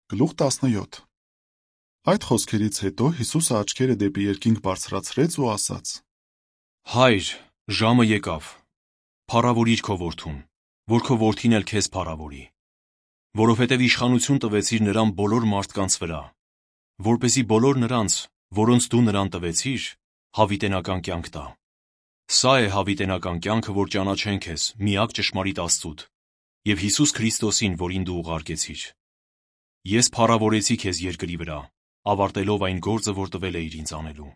Գլուխ 17 Այդ խոսքերից հետո Հիսուսը աչքերը դեպի երկինք բարձրացրեց ու ասաց. Հայր, ժամը եկավ, փառավորիր քո որդուն, որ քո որդին էլ քեզ փառավորի, որովհետև իշխանություն տվեցիր նրան բոլոր մարդկանց վրա, որպեսզի բոլոր նրանց, որոնց դու նրան տվեցիր, հավիտենական կյանք տա։ Սա է հավիտենական կյանքը, որ ճանաչեն քեզ միակ ճշմարիտ Աստծուդ և Հիսուս Քրիստոսին, որին դու ուղարկեցիր։ Ես փառավորեցի քեզ երկրի վրա, ավարտելով այն գործը, որ տվել էիր ինձ անելու։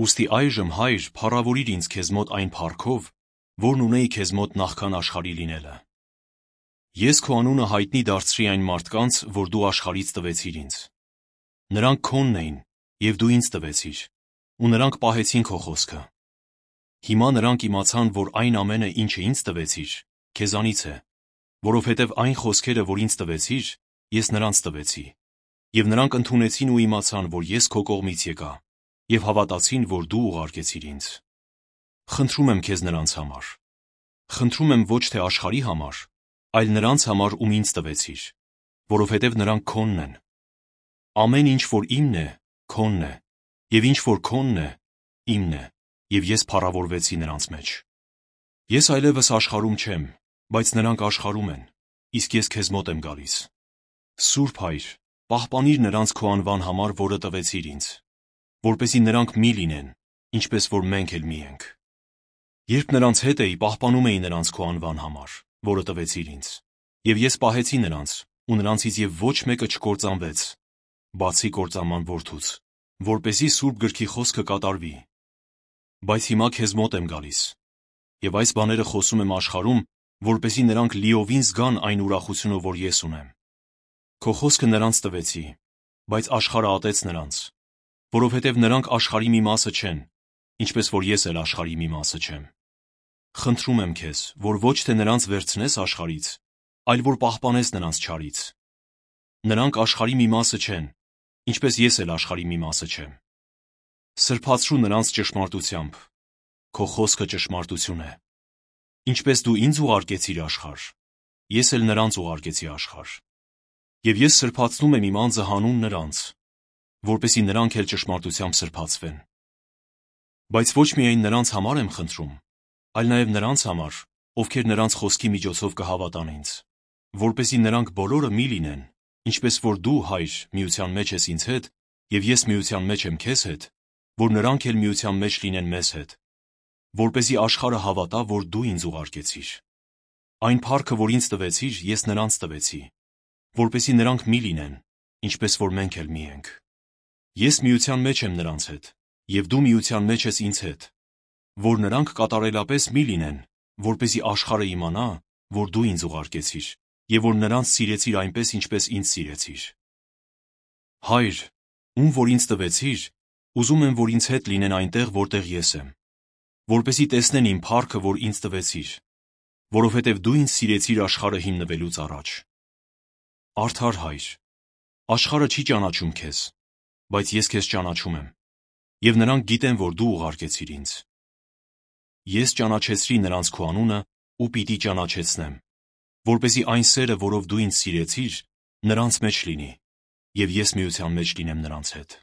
Ուստի այժմ, Հայր, փառավորիր ինձ քեզ մոտ այն փառքով, որն ունեի քեզ մոտ նախքան աշխարհի լինելը։ Ես քո անունը հայտնի դարձրի այն մարդկանց, որ դու աշխարհից տվեցիր ինձ։ Նրանք քոնն էին, և դու ինձ տվեցիր, ու նրանք պահեցին քո խոսքը։ Հիմա նրանք իմացան, որ այն ամենը, ինչը ինձ տվեցիր, քեզանից է, որովհետև այն խոսքերը, որ ինձ տվեցիր, ես նրանց տվեցի, և նրանք ընդունեցին ու իմացան, որ ես քո կողմից եկա, և հավատացին, որ դու ուղարկեցիր ինձ։ Խնդրում եմ քեզ նրանց համար։ Խնդրում եմ ոչ թե աշխարհի համար, այլ նրանց համար, ում ինձ տվեցիր, որովհետև նրանք քոնն են։ Ամեն ինչ, որ իմն է, քոնն է, և ինչ որ քոնն է, իմն է, և ես փառավորվեցի նրանց մեջ։ Ես այլևս աշխարհում չեմ, բայց նրանք աշխարհում են, իսկ ես քեզ մոտ եմ գալիս։ Սուրբ Հայր, պահպանիր նրանց քո անվան համար, որը տվեցիր ինձ, որպեսզի նրանք մի լինեն, ինչպես որ մենք էլ մի ենք։ Երբ նրանց հետ էի, պահպանում էի նրանց քո անվան համար, որը տվեցիր ինձ, և ես պահեցի նրանց, ու նրանցից և ոչ մեկը չկործանվեց, բացի կործանման որդուց, որպեսզի Սուրբ գրքի խոսքը կատարվի։ Բայց հիմա քեզ մոտ եմ գալիս, և այս բաները խոսում եմ աշխարհում, որպեսզի նրանք լիովին զգան այն ուրախությունը, որ ես ունեմ։ Քո խոսքը նրանց տվեցի, բայց աշխարհը ատեց նրանց, որովհետև նրանք աշխարհի մի մասը չեն, ինչպես որ ես էլ աշխարհի մի մասը չեմ։ Խնդրում եմ քեզ, որ ոչ թե նրանց վերցնես աշխարհից, այլ որ պահպանես նրանց չարից։ Նրանք աշխարհի մի մասը չեն, ինչպես ես էլ աշխարհի մի մասը չեմ։ Սրբացրու նրանց ճշմարտությամբ, քո խոսքը ճշմարտություն է։ Ինչպես դու ինձ ուղարկեցիր աշխարհ, ես էլ նրանց ուղարկեցի աշխարհ։ Եվ ես սրբացնում եմ իմ անձը հանուն նրանց, որպեսզի նրանք էլ ճշմարտությամբ սրբացվեն։ Բայց ոչ միայն նրանց համար եմ խնդրում, այլ նաև նրանց համար, ովքեր նրանց խոսքի միջոցով կհավատան ինձ, որպեսզի նրանք բոլորը մի լինեն, ինչպես որ դու, Հայր, միության մեջ ես ինձ հետ, և ես միության մեջ եմ քեզ հետ, որ նրանք էլ միության մեջ լինեն մեզ հետ, որպեսզի աշխարհը հավատա, որ դու ինձ ուղարկեցիր։ Այն փառքը, որ ինձ տվեցիր, ես նրանց տվեցի, որպեսզի նրանք մի լինեն, ինչպես որ մենք էլ մի ենք։ Ես միության մեջ եմ նրանց հետ, և դու միության մեջ ես ինձ հետ, որ նրանք կատարելապես մի լինեն, որպեսզի աշխարհը իմանա, որ դու ինձ ուղարկեցիր, և որ նրանց սիրեցիր այնպես, ինչպես ինձ սիրեցիր։ Հայր, ում որ ինձ տվեցիր, ուզում եմ, որ ինձ հետ լինեն այնտեղ, որտեղ ես եմ, որպեսզի տեսնեն իմ փառքը, որ ինձ տվեցիր, որովհետև դու ինձ սիրեցիր աշխարհը հիմնվելուց առաջ։ Արդար Հայր, աշխարհը չի ճանաչում քեզ, բայց ես քեզ ճանաչում եմ, և նրանք գիտեն, որ դու ուղարկեցիր ինձ։ Ես ճանաչեցրի նրանց քո անունը ու պիտի ճանաչեցնեմ, որպեսզի այն սերը, որով դու ինձ սիրեցիր, նրանց մեջ լինի, և ես միության մեջ լինեմ նրանց հետ։